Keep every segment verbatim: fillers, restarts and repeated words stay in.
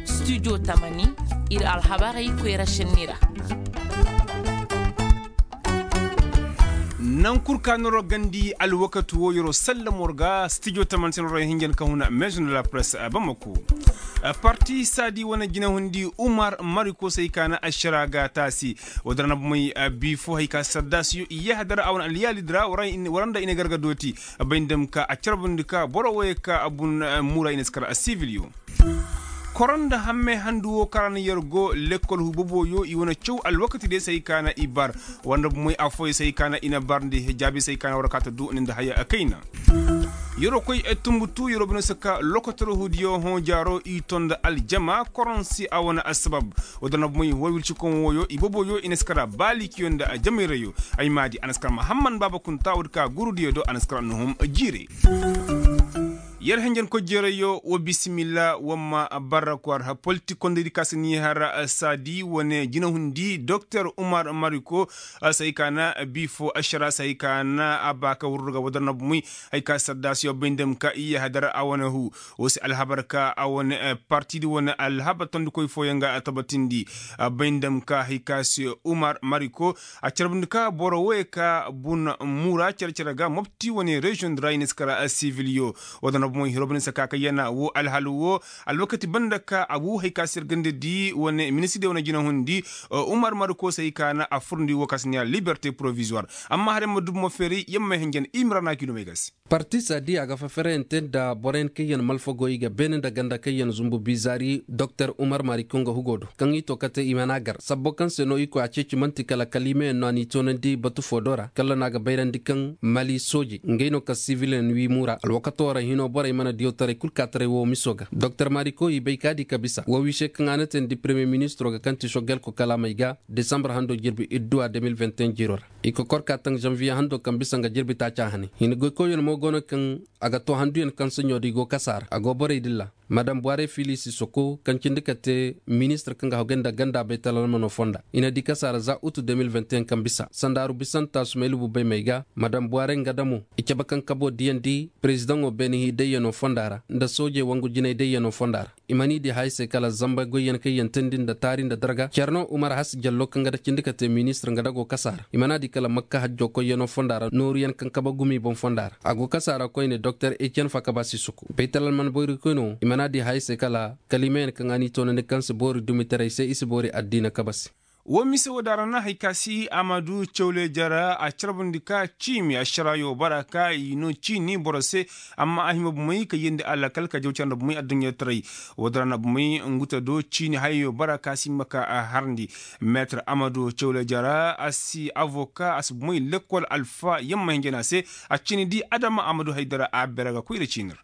Studio tamani, ir alhabarey koyra šenni ra. Naŋ kul ka noro gandi alwakati wo yero sallam war ga studio tamani se noro hinjan ka huna maison de la presse bamako. Parti sadi wane jinahundi umar mariko se hay ka na ašara ga taasi. Wodara na bumey, bifo hay ka saddasiyo i yahadar a wane alyaali dira. Waranda i na garga dooti. Bay nda ma ka a carbundi ka boro woyey ka bun muura i na si kar a sibiliyo. Koro nda hammey handu wo kaŋ ra na yer go lekkol huubaboyo i wane caw alwakati day se hay ka na i bar. Wanda bumey affooyey se hay ka na i na barndi hijaabi se hay ka na war kaata du ni nda haya kayna. Yeroo koy tumbutu yeroo bine se ka lokotor huudiyo hõ jaaro i to nda aljama koronsi a wane assabab. Woo da na bumey war wircikoŋ wooyo i boboyo i na si kara baalikiyo nda jamayrayyo. Ay maadi a na si kara mahamman baaba kunta woo da ka gurudiyo do a na si kara nuhum jiire. Yer henjen koy jeerayyo wa bisimilla wa ma barra kwar politik kondaydi ka si ni har saadi wane jinahundi doktor umar mariko. Sahi ka na biifo ašara sahi ka na a ba ka wurru ga wadar na bumey. Hay ka sardaasiyo bay nda ma ka iyye hadar a wane huu. Woo se alhabar ka a wane partidi wane alhabar tondikoy fooyaŋ ga a tabatindi. Bay nda ma ka hay ka se umar mariko. A carbundi ka boro woyey ka bun muura care-care ga mopti wane reziyoŋ di ra i na si kara sibiliyo. Woo da na bumey hiroo bine se ka kayyana woo alhalu woo. Alwakati banda ka a wuu hay ka se ir ganda di wane ministir di wane jinahundi. Umar mariko se hay ka na a furndi woo ka si neeya liberte porovizuwar. Amma har yamma dubu ma feeri yamma henjen i ma ra na a kiilomey ga se. Parti saadi a ga faferayante nda boroyaŋ kaŋ yaŋ malfagoy ga beene nda ganda kaŋ yaŋ zumbu bizaari doktor umar mariko nga hugo do kaŋ i to kate i mana gar sabbo kaŋ se no i koy a ceeci man'ti kala kaliimeyaŋ no a n'i toonandi batu foo do ra kala no a ga bayrandi kaŋ mali sooje ngey no ka sibiliyaŋ wii muura alwakato ra hinoo borey mana diyawtaray kul kaataray woo miso ga doktor mariko i bay ka di ka bisa woo wise kaŋ a na teendi peremiye ministiroo ga kaŋ ti soggelko kalaamey ga desambar handoo jirbi idduwa de mil vingt et un jiiroo ra. I kokor ka taŋ zanviye handoo kaŋ bisa nga jirbi taaca hane hina goykoyyaŋ mo go no kaŋ a ga too handuyaŋ kaŋ saɲoo da i go kasa ra a go borey dilla madam buware fili sisoko kaŋ cindi ka te ministir kaŋ ga hagay nda ganda baytalalmano fonda i na di kasa ra za utu de mil vingt et un kaŋ bisa sandaaru bisanta sumaylu bubay may ga madam buware nga damo i cabe kaŋ kaboo diyandi perezidaŋo beene hii dayyano fonda ra nda soojey wangu jinay dayyano fonda ra. I mana i di haya se kala zamba goyyaŋ kaŋ yaŋ teendi nda taari nda darga care no umar hasi jallo kaŋ ga da cindi ka te ministir nga da go kasa ra i mana a di kala makka hajjo koyyaŋo fonda ra nooruyaŋ kaŋ kabe gumi boŋ fonda ra a go kasa ra koyne doktor etiyen fakaba sisuku baytalalman boyrikoyno i mana a di haya se kala kaliimayaŋ kaŋ a n'i toonandi kaŋ si boori dumitaray se i si boori addiina kabe se. Woo mise woo da ra na hay ka si amadu cawle jara a carbundi ka ciimi ašaraayo bara ka i no ciini boro se. Amma a hima bumey ka yeendi alakal ka jaw care nda bumey adduɲɲataray. Woo da ra na bumey ngu te do ciini hayayo bara ka si hima ka a harndi. Meetir amadu cawle jara a si avoka a si bumey lekkol alfa yamma hinja no a se. A ciini di adama amadu haydara a bere ga koyra ciini ra.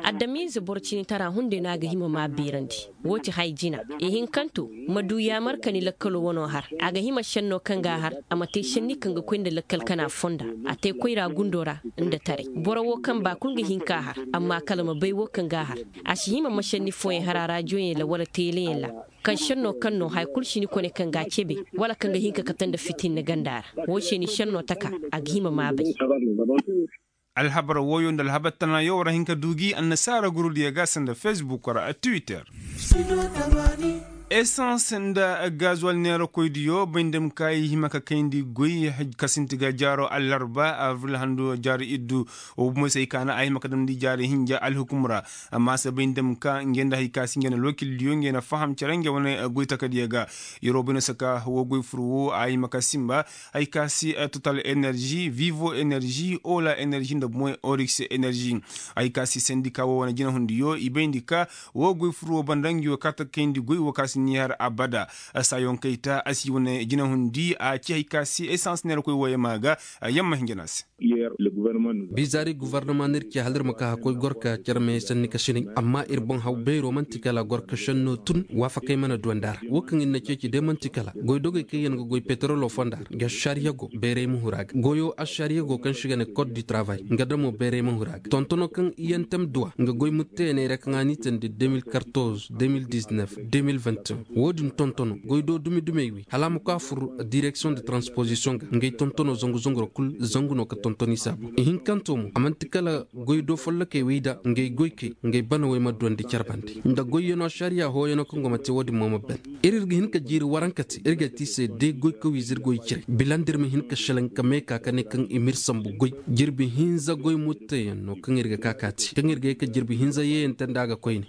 Adamize boro ciinitara hunday no a ga hima ma a beerandi. Woo ti hay jina ihinkanto ma du yaamar ka ni lakkaloo wanoo har. A ga hima šennoo kaŋ ga a har a ma te šenni kaŋ ga koy nda lakkal kana fonda. A te koyra gundoo ra nda taray boro woo kaŋ ba kul ga hin k'a har. Amma kala ma bay woo kaŋ ga a har. A si hima ma šenni fooyaŋ har a raadiyoyaŋ ra wala teeleyaŋ ra. Kaŋ šennoo kaŋ no haya kul si ni kone kaŋ ga a cebe wala kaŋ ga hin ka kate nda fitinna ganda ra. Woo se ni šennoo taka a ga hima ma a bay. Alhabar wooyo nda alhabar tanaayo war a hin ka du gi annasaara gurudiyo ga sanda fesbuk ra twitter. Esans nda gazuwal neerakoydiyo bay nda ma ka i hima ka kayndi goy ka sinti ga jaaro allarba avril handu jaari iddu. Wo bumo se ay ka na a hima ka damndi jaari hinja alhukum ra. Amma se bay nda ma ka ngey nda hay ka si ngey na alwakildiyo ngey na faham cere ngey wane goy takadiyo ga. Yeroo bayna saka wo goy fur wo a hima ka sinba. Hay ka si total energi vivo energi ola energi nda moy orix energi. Hay ka si sendika wo wane jinahundiyo i bayndi ka wo goy fur wo banda ngi wo ka takayndi goy wo ka si ni har abada. Saayoŋ kayta a si wane jinahundi a ci hay ka si esans neera koy wo yamma ga. Yamma hinja no a se. Bizaari govornoma no ir ce hala ir ma ka hakkoy gorka care me sanni ka sinay. Amma ir boŋ haw beero man'ti kala gorka šenno tun waafakey mana duwandi a ra wo kaŋ ir na ceeci day man'ti kala goy dogey kaŋ yaŋ ga goy peterolo fonda ra ga ašariyago bayray ma huru a ga goyo ašariyago kaŋ se i ga ne kot du travay nga damo bayray ma huru a ga tontono kaŋ iyantem duwa nga goy mutteyaney ra kaŋ a n'i teendi de mil kartoz de mil diznef de mil vingt. Wo-din tontono goy do dumi dumey wey hala a ma koy a fur direksiyoŋ de transposisiyoŋ ga ngey tontono zangu zangu ra kul zangu no ka tonton i se a boŋ ihinkanto mo a man'ti kala goy do follokey wey da ngey goykey ngey bana wey ma duwandi care bande nda goyyano ašariya hooyano kaŋ go ma te wo-din mo ma ban. Ir ir ga hin ka jiiri waranka te ir ga te i se day goy ka wiiza ir goy cire bila nda ir ma hin ka šelaŋ ka meeka ka ne kaŋ i m'ir sambu goy. Jirbi hinza goy mutteyaŋ no kaŋ ir ga ka ka te kaŋ ir ga ye ka jirbi hinza yeeyante nda a ga koyne.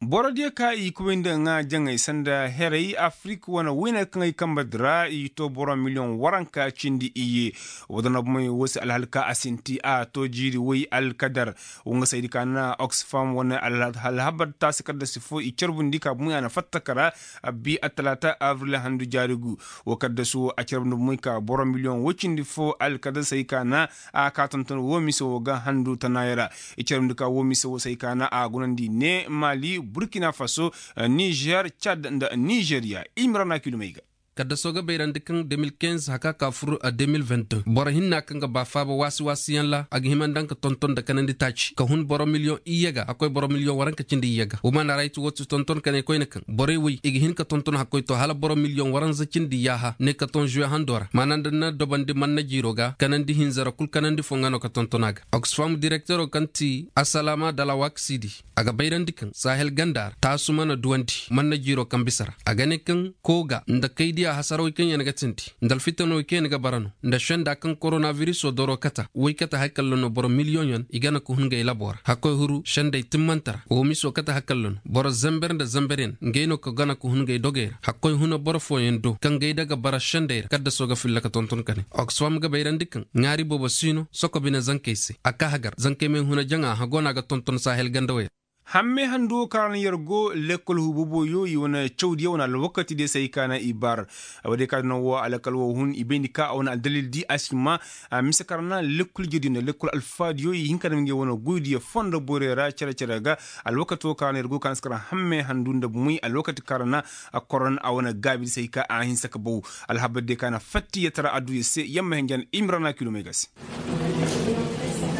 Borodiyo ka i kubay nda ŋaa jaŋay sanda heray afirik wane wayne kaŋ ay kambe di ra i to boro miliyoŋ waranka cindi iyye. Woo da no bomey woo se alhal ka a sinti a to jiiri way alkadar. Woo nga saydi ka na oxfam wane alhabar taasi kaddasi fo i carbundi ka bomey a na fatta ka ra. Abbi attalaata abril handu jaari gu. Woo kaddasi woo a carbundi bomey ka boro miliyoŋ woy cindi fo alkadar saydi ka na a ka tonton woo mise woo ga handu tanaayey ra. I carandi ka woo mise woo se ay ka na a gunandi ne maali burkina faso, nizer cad nda nizeriya. Imrana kilomey ga. Kaddaso ga bayrandi kaŋ de mil kinz haka ka fur de mil vingt deux boro hinna kaŋ ga ba faaba waasi waasiyaŋ ra a ga hima nda nga tonton nda kanandi taaci ka hun boro miliyoŋ iyye ga hakkoy boro miliyoŋ waranka cindi iyye ga wa maana ra ay ti woo ti tonton ka ne koyne kaŋ borey woy i ga hin ka tonton hakkoy to hala boro miliyoŋ waranza cindi yaaha ne ka ton zuwe hando ra maana nda na dobandi manna jiiro ga kanandi hinza ra kul kanandi fo nga no ka tonton a ga. Oxfam direktero kaŋ ti asalaama dalawaksidi a ga bayrandi kaŋ sahel ganda ra taasu mana duwandi manna jiiro kaŋ bisa ra a ga ne kaŋ kooga nda kaydiya hasarawey kaŋ yaŋ ga tindi nda alfitanawey kaŋ yaŋ ga bara no nda senda kaŋ koronabiriso doro kata woy kate haykalla no boro miliyoŋ yaŋ i gana ka hun ngey labo ra hakkoy huru sendey timmante ra woo miso kate haykalla no boro zember nda zember yaŋ ngey no ka gana ka hun ngey dogey ra hakkoy huna boro fooyaŋ do kaŋ gay daga bara sendey ra kaddaso ga filla ka tonton ka ne oxfam ga bayrandi kaŋ ŋaari boobo si no soko bine zankey se a ka hagar zankey may huna jaŋa hago no a ga tonton sahel ganda wey ra. Hammey handu wo kaŋ ra no yer go lekkol huuboboyo i wane cawdiyo wane alwakati diyo se ay ka na i bar. Woodiyo kaŋ ra no wo alkal wo hun i bayndi ka a wane aldalil di a si ma mise kaŋ ra na lekkol jediyo nda lekkol alfaadiyo i hin ka dam ngey wane goydiyo fondo borey ra cere-cere ga. Alwakato kaŋ ra no yer go kaŋ si kar hammey handu nda bumey alwakati kaŋ ra na a koron a wane gaabi di se ay ka a hinsa ka baw. Alhabar diyo kaŋ na fattiyatara adduya se yamma hinja na imrana kilomey ga se.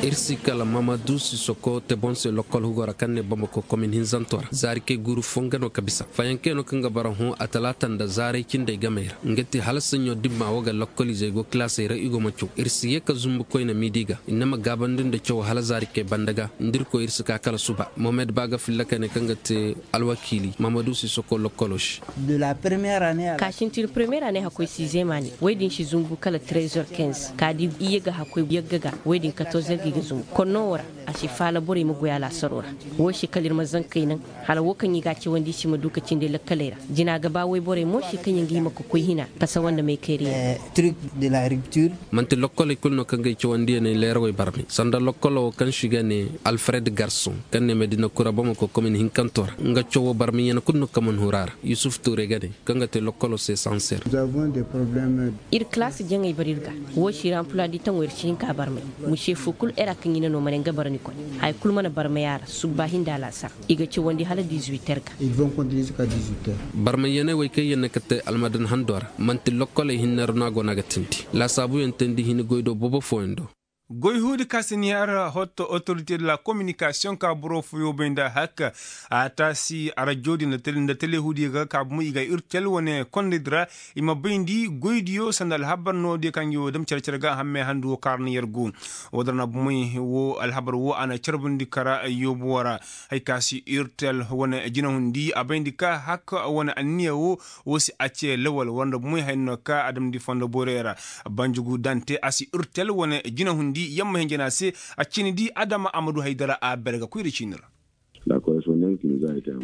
Ir si kala mamadu sisoko te boŋ se lokkol hugo ra kaŋ ne bamako komin hinzanto ra zaari kay guuru fo nga no ka bisa fayankey no kaŋ ga bara hõ a talaata nda zaaray cindey gamey ra nga ti hala saɲɲo dimma wo ga lokkolizey go kilaasey ra i go ma caw ir si ye ka zumbu koyne miidi ga i na ma gaabandi nda caw hala zaari kay banda ga nda ir koy ir si ka kala suba mohamed ba ga filla kane kaŋ ga te alwakiili mamadu sisoko lokkolo se. Ka sintin premiyer ane hakkoy sizeem ane woy din si zumbu kala trezor kinz ka di iyye ga hakkoy yagga ga woy din katorzer ga i ga zumbu konno wo ra. A si faala borey ma goy alaasaro ra. Wo se kala ir ma zankey naŋ hala wo kaŋ i ga a cawandi i si ma du ka cindi lakkaley ra. Jina ga ba woy borey mo se kaŋ yaŋ ga hima ka koy hina pasa wanda may kayra yaŋ. Manti lokkoley kulu no kaŋ ga ay cawandiyaney leerawey barmay sanda lokkolo wo kaŋ si ga ne alfred garson kaŋ ne medina kura bamako komin hinkanto ra nga cawo barmay yana kulu no kaŋ man huru a ra yusuf tuure ga ne kaŋ ga te lokkolo se sanser. Ir kalaasi jaŋey bar ir ga. Wo si ra anpula di taŋo ir si hin ka barmay. Muse fo kulu era kaŋ i na no ma ne nga bara ni koy. Haya kulu mana barmay a ra subba hinda alaasar. I ga cawandi hala dizuwiter ga. Barmay yaney wey kaŋ yaŋ na ka te almadan hando ra man'ti lokkoley hinne ra no a go no a ga tindi laasaabuyaŋ teendi hini goy do boobo fooyaŋ do. Goy huudi ka si ni har hotto otorite de la kominikasiyoŋ ka boro fooyo bay nda hak. A taasi arajo di nda tele huudiyo ga ka bumo i ga irtel wane kondey di ra. I ma bayndi goydiyo sanda alhabar noodiyo kaŋ gi wo dam care care ga hammey handu wo kaŋ ra na yer go. Wo da ra na bumey wo alhabar wo a na carbundi kara yoobo wo ra. Hay ka si irtel wane jinahundi a bayndi ka hak wane anniya wo. Wo si a ce lawal war nda bumey hay no ka a damndi fondo borey ra. Banjugu dante a si irtel wane jinahundi yamma hinjana se. A cini di adama a ma du hay dara a berga koyra ciini ra.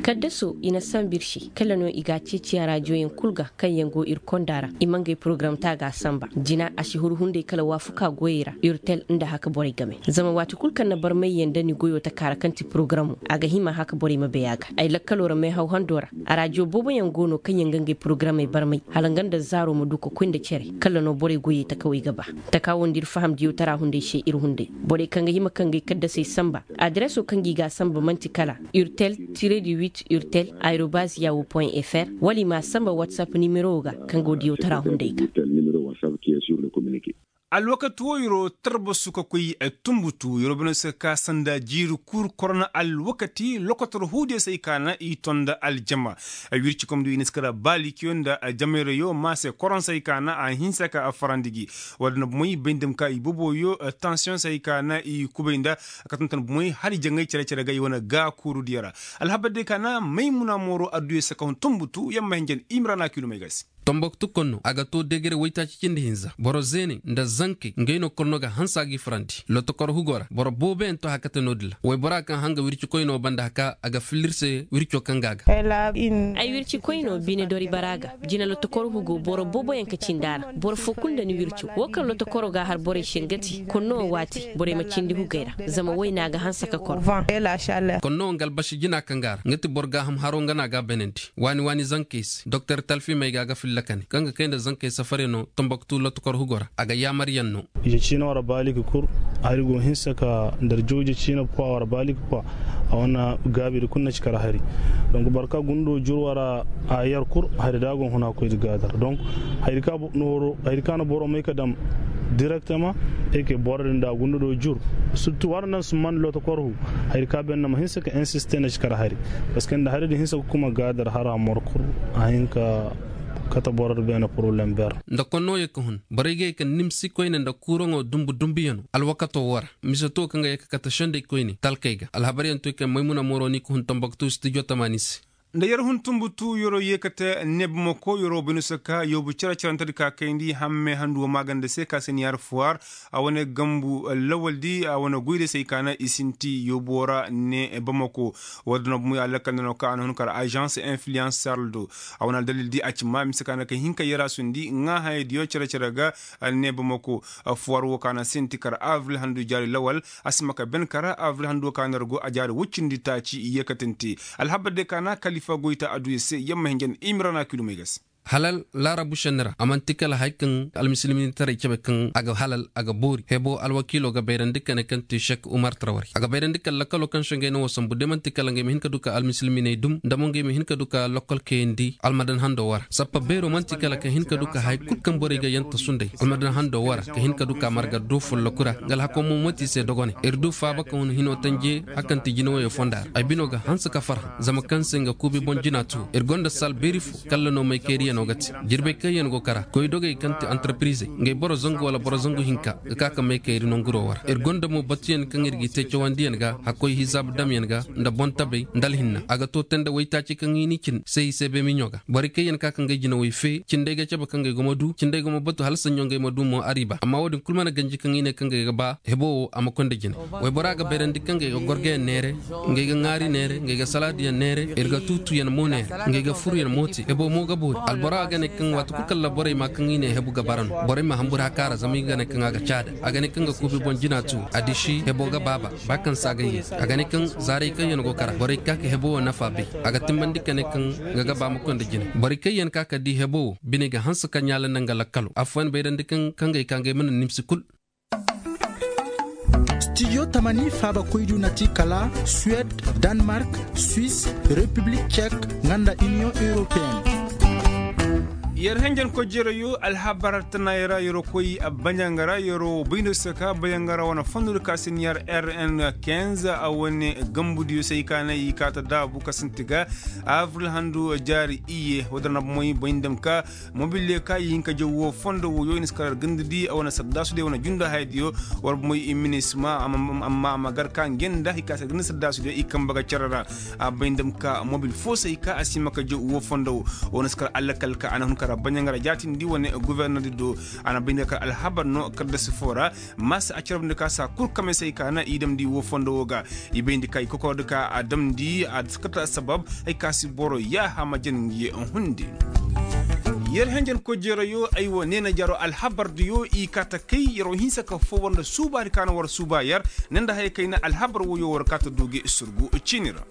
Kaddaso i na sambu ir se kala no i ga a ceeci arajoyaŋ kul ga kaŋ yaŋ go ir konda ra i ma ngey porogaram te a ga a samba jina a si huru hunday kala waafuka goyey ra irtel nda haka borey game. Zama waati kul kaŋ na barmayyaŋ nda ni goyo taka ra kaŋ ti porogaramu a ga hima haka borey ma bay a ga. Ay lakkalo ra meehaw hando ra arajo booboyaŋ go no kaŋ yaŋ ga ngey porogaramey barmay hala nga nda zaaro ma du ka koy nda cere. Kala no borey goyey takawey ga ba taka wo nda ir fahamdiyo tara hunday se ir hunday borey kaŋ ga hima ka ngey kaddasey samba. Adireso kaŋ ga i ga a samba man'ti kala urtel tire de huit urtel aerobaz yawo point fr wala i m'a samba whatsapp nimero wo ga kaŋ go diyo tara hunday ga. Alwakati woo yeroo tarbasu ka koy, tunbutu yeroo bine se ka sanda jiiri kur korona alwakati lokotor huudiyo se ay ka na i tonda aljama. Wircikomdiyo i na si kara baalikiyo nda jamayrayoo maa se koron se ay ka na a hinsa ka a farandi gi. Wala na bumoy bay nda ma ka i boboyo tansiyoŋ se ay ka na i kubay nda ka tonton bumoy hala jaŋay cere-cere ga i wane gaakuurudiyo ra. Alhabar day ka na maymuna mooro adduyo se ka hun tunbutu yamma hinjan imira na kiilumay ga se. Tomboktu konno a ga too degere waytaaci cindi hinza boro zeene nda zankey ngey no konno ga hanse a g'i farandi lotokor hugo ra boro booboyaŋ too hakate no-din ra wayboraa kaŋ hanga wircikoynoo banda haka a ga filla ir se wircoo kaŋ ga a ga. Ay wircikoynoo bine dori baraa ga jine lotokor hugo boro booboyaŋ ka cindi a ra boro foo kul nda ni wircoo woo kaŋ lotokoroo ga a har borey se nga ti konno waati borey ma cindi hugey ra. Zama wayna ga hanse ka kor. Konno nga albasi jina kaŋ ga a ra nga ti boro gaaham haroo nga no a ga a beenandi waani waani zankey se doktor talfimey ga a ga filla ka ne kaŋ ga kay nda zankey safaryanoo tomboktu lotokor hugo ra a ga yaamaryaŋ no. Ije ciina war baaliki kul hari go hinsa ka nda jawje ciina pwa war baaliki pwa. A wane gaabidi kul na ci kar hari donk boro ka gundoo jur war a yar kul hari da a go huna koydi gaadar donk hari ka na boro may ka dam direktama eke boro din da a gundoo jur. Surtu war nan si man lotokor hu hari ka ben na ma hinsa ka insiste na ci kar hari. Parceque nda hari din hinsa ka kuma gaadar hara mor kul a hin ka kate boro din beene poroblem ber. Nda konnoo ye ka hun borey ga ye ka nimsi koyne nda kuuraŋo dumbu dumbuyanoo alwakatoo woo ra mise too kaŋ ga ye ka kate sendey koyne talkey ga alhabaryaŋ too kaŋ maymuna mooroo ni ka hun tambaktu stijo tamaani se. Nda yer hun tunbutu yeroo yeekate ne bamako yeroo bay no se ka yoobu cere-cerentedi ka kayndi hamme handu woo maaganda se ka se ni har fuwar a wane gambu lawaldi a wane goydi se ay ka na i sinti yooboo ra ne bamako. Woo din no bumo ya lakkal nda no ka a na hun kar agence influence sarl do a wane aldalildi a ci ma mise ka na ka hin ka yerasundi ŋaa hayadiyo cere-cere ga. Ne bamako fuwar woo ka na sinti kar avril handu jaari lawal a si ma ka ben kar avril handu woo ka na yer go a jaari woy cindi taaci yeekatante. Alhabar day ka na kalifa goyta adduya se yamma hinja nda imira na kiilumay ga se. Halal laarabu šenni ra a man'ti kala haya kaŋ almisilminitaray cabe kaŋ a ga halal a ga boori heboo alwakiiloo ga bayrandi ka ne kaŋ ti šek umar tarwari a ga bayrandi kala lakaloo kaŋ se ngey na woo sambu de man'ti kala ngey ma hin ka du ka almisilminey dum nda mo ngey ma hin ka du ka lokol kayandi almadan handoo woo ra sappa beeroo man'ti kala ka hin ka du ka haya kul kaŋ borey ga yantasu nd'ey almadan handoo woo ra ka hin ka du ka marga du folloku ra nga alhakoo mo man'ti i se dogoney ir du faaba ka hun hinoo tanje. Hakanti jinawayoo fonda ra ay binoo ga hanse ka farhã zama kaŋ se nga kuubi boŋ jina too ir gonda sal beeri foo kalla no maykayriyanoo ga te. Jirbey kaŋyaŋ go kara koydogey kaŋ ti antarpirizey ngey boro zangu wala boro zangu hinka ga ka ka maykayri nanguroo war ir gonda mo batuyaŋ kaŋ ir g'i te cawandiyaŋ ga hakkoy hizaab damyaŋ ga nda boŋ tabey nda alhinna a ga too tee nda waytaaci kaŋ i n'i cin se i se beemiɲo ga borey kaŋyaŋ ka ka ngey jinawey fee cindey ga cabe ka ngey go ma du cindey go ma batu hala saɲɲo ngey ma du mo ariiba amma woo din kul mana ganji kaŋ i ne ka ngey ga ba heboo woo a ma koy nda jine. Wayboraa ga bayrandi kaŋ ngey ga gorgayaŋ neere ngey ga ŋaari neere ngey ga salaadiyaŋ neere ir ga tuutuyaŋ mo neere ngey ga furuyaŋ mo te heboo mo ga boori alboraa ga ne kaŋ waati kul kaŋ ra borey maa kaŋ i ne hebu ga bara no borey ma hanbur hakaara zama i ga ne kaŋ a ga caada a ga ne kaŋ ga kuubi boŋ jina tu. Adiši heboo ga baaba ba kaŋ se a ga yee a ga ne kaŋ zaarey kaŋyaŋ go kara borey ka ka heboo wo nafa bay a ga timmandi ka ne kaŋ nga ga ba ma koy nda jine borey kaŋyaŋ ka ka di heboo wo biney ga hanse ka ɲaala nda nga lakkalo affooyaŋ bayrandi kaŋ kaŋ gay ka ngey mana nimsi kul. Stijo tamani faabakoydiyo na ti kala suwed, danmark, swis, repiblik cek, nga nda iniyoŋ europeyen. Yer henjen kojerayo alhabar tanaayey ra yeroo koy baɲanga ra yeroo bayno se ka baɲanga ra wane fondodi ka si ni har rn kinze a wane gambudiyo se i ka na i kaa ta daabu ka sinti ga avril handu jaari iyye woo din ra bomoy bay nda ma ka mobil ye ka i hin ka jaw woo fondo wooyo i na si kar gandadi a wane saddaasudiyo wane junda hayadiyo war bomoy i minisma amma a ma gar ka nge nda i ka si gandadi saddaasudiyo i kamba ga cere ra. A bay nda ma ka mobil foo se i ka a si ma ka jaw woo fondo woo woo na si kar allakal ka a na hun kar baɲanga ra jaatindi wane gofornordi do. A na bay nda kar alhabar no kaddasi foo ra maasa a carabndi ka saa kul kame se i ka na i damndi woo fondo woo ga. I bayndi ka i kokordi ka a damndi a si kate assabab ay ka si boro yaaha ma jan ngi hundi. Yer henjen kojeerayo ay woo neena jaro alhabardiyo i kaa ta kay yer woo hinsa ka foo war nda suubaadi ka na war suuba yer ne nda haya kay na alhabar wooyo war kaa ta duu gi surgu ciini ra.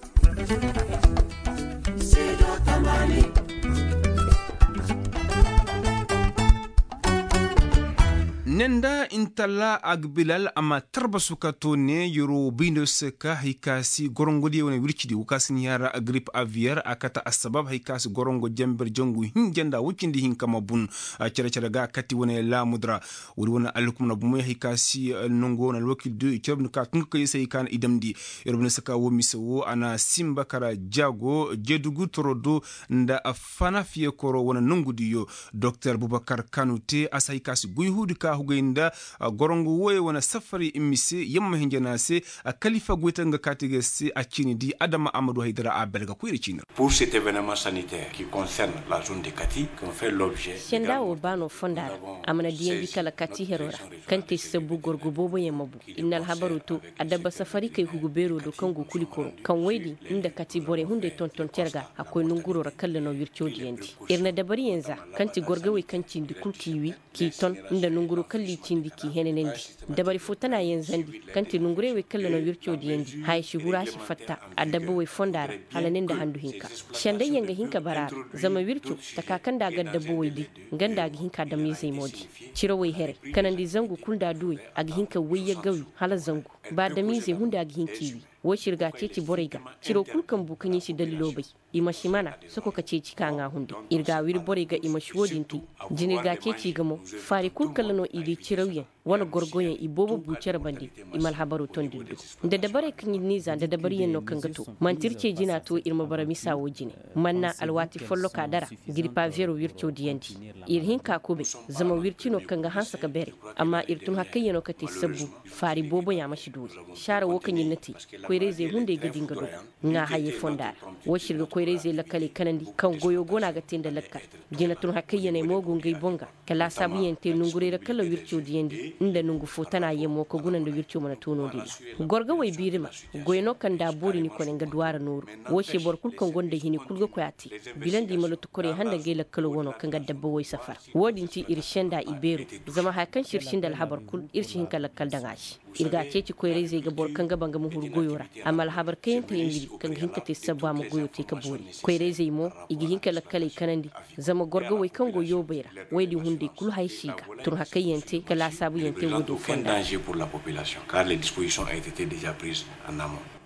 Ne nda intalla agbilal a ma tarbasu ka to ne yeroo bayndo se ka hari ka si gorongodiyo wane wircidi wo ka si ni hara grip aviyer a kate assabab hari ka si gorongo jenber jangu hinja nda woy cindi hinka ma bun. Cere-cere ga kati wane laamudi ra. Woodi wane alhukumna bomey hari ka si nangu wane alwakildiyo i cere bine ka tun ka kay se hari ka na i damndi. Yer bine se ka wo mise wo a na sinba kara jaago jeedugu toro do nda fanafiye koro wane nangudiyo. Doktor bubakar kanu te a si hay ka si goyhuudi ka hugay nda gorongo wooyey wane safari mise yamma hinjana se. Kalifa goyta nga kaati ga se a ciini di adama a ma du haydara a belga koyra ciini ra. Pour cet événement sanitaire qui concerne la zone de kati qui ont fait l'objet senda wo ba no fonda ra. A mana diyandi kala kati hero ra kaŋ te sabbu gorgo booboyaŋ ma bu. Inna alhabaro to adabba safari kay hugu beero do kaŋ go kuli koro kaŋ woy din nda kati borey hunday tonton terga a koy nonguro ra kalla no wirco diyandi. Ir na dabariyaŋ za kaŋ ti gorgawey kaŋ cindi kul k'i wi k'i ton nda nonguro kalla i cindi k'i henanandi. Dabari fo tana yaŋ zandi kaŋ ti nongurey wey kalla no wirco diyandi haya si huru a si fatta. Adabba wey fonda ra hala ne nda handu hinka. Sendayyaŋ ga hin ka bara ra zama wirco taka kaŋ nda a ga adabba wey di nga nda a ga hin ka adamizey mo di. Cirawey here kanandi zangu kul nda a duwey a ga hin ka wayyagga wi hala zangu. Ba adamizey hunday a ga hin k'i wi. Wo se ir ga a ceeci borey ga ciro kul kaŋ bu kaŋ i si dalilo bay. I ma si mana soko ka ceeci ka ŋaa hunday. Ir ga a wiri borey ga i ma si wo-din te. Jina ir ga a ceeci i ga mo faari kul kala no i ga i cirawyaŋ wane gorgoyaŋ i boobo bu cere bande. I ma alhabaro tondi ir do nda dabarey kaŋ ir n'i za nda dabariyaŋ no kaŋ ga to. Manti ir ce jina to ir ma bara misa wo jine. Manna alwaati folloka dara. Girpa vero wirco diyandi ir hin ka kubay. Zama wirci no kaŋ ga hanse ka bere. Amma ir tun hakayyaŋo ka te sabbu faari booboyaŋ a ma si doori. Saara wo kaŋ ir na te koyrayzey hunday ga di nga dogo. Ŋaa hayey fonda ra. Wo se ir ga koyrayzey lakkaley kanandi kaŋ goyo go no a ga te nda lakkal. Jina tun hakayyaney mo go ngey boŋ ga ka laasaabuyaŋ te nongurey ra kala wirco diyandi nda nongu fo tana yaŋ mo ka guna nda wirco mana to no-din ra. Gorgawey biirima goy no kaŋ nda a boori ni kone nga duw'a ra nooru. Wo se boro kul kaŋ gonda hini kul ga koy a te. Bila nda i ma lotokorey handa ngey lakkalo wano kaŋ ga dabba woy safara. Wo-din ti ir senda i beero. Zama haya kaŋ se ir sinda alhabar kul ir si hin ka lakkal daŋ a se. Ir ga a ceeci koyrayzey ga boro kaŋ ga ba nga ma huru goyo ra. A ma alhabar kayante yaŋ wiri kaŋ ga hin ka te sabbu a ma goyo te ka boori. Koyrayzey mo i ga hin ka lakkaley kanandi. Zama gorgawey kaŋ go yoobey ra woy din hunday kul haya si ga. Tun hakayyaŋ te ka laasaabuyaŋ te wo-din fonda. Kar les dispositions ont été déjà prises en amont.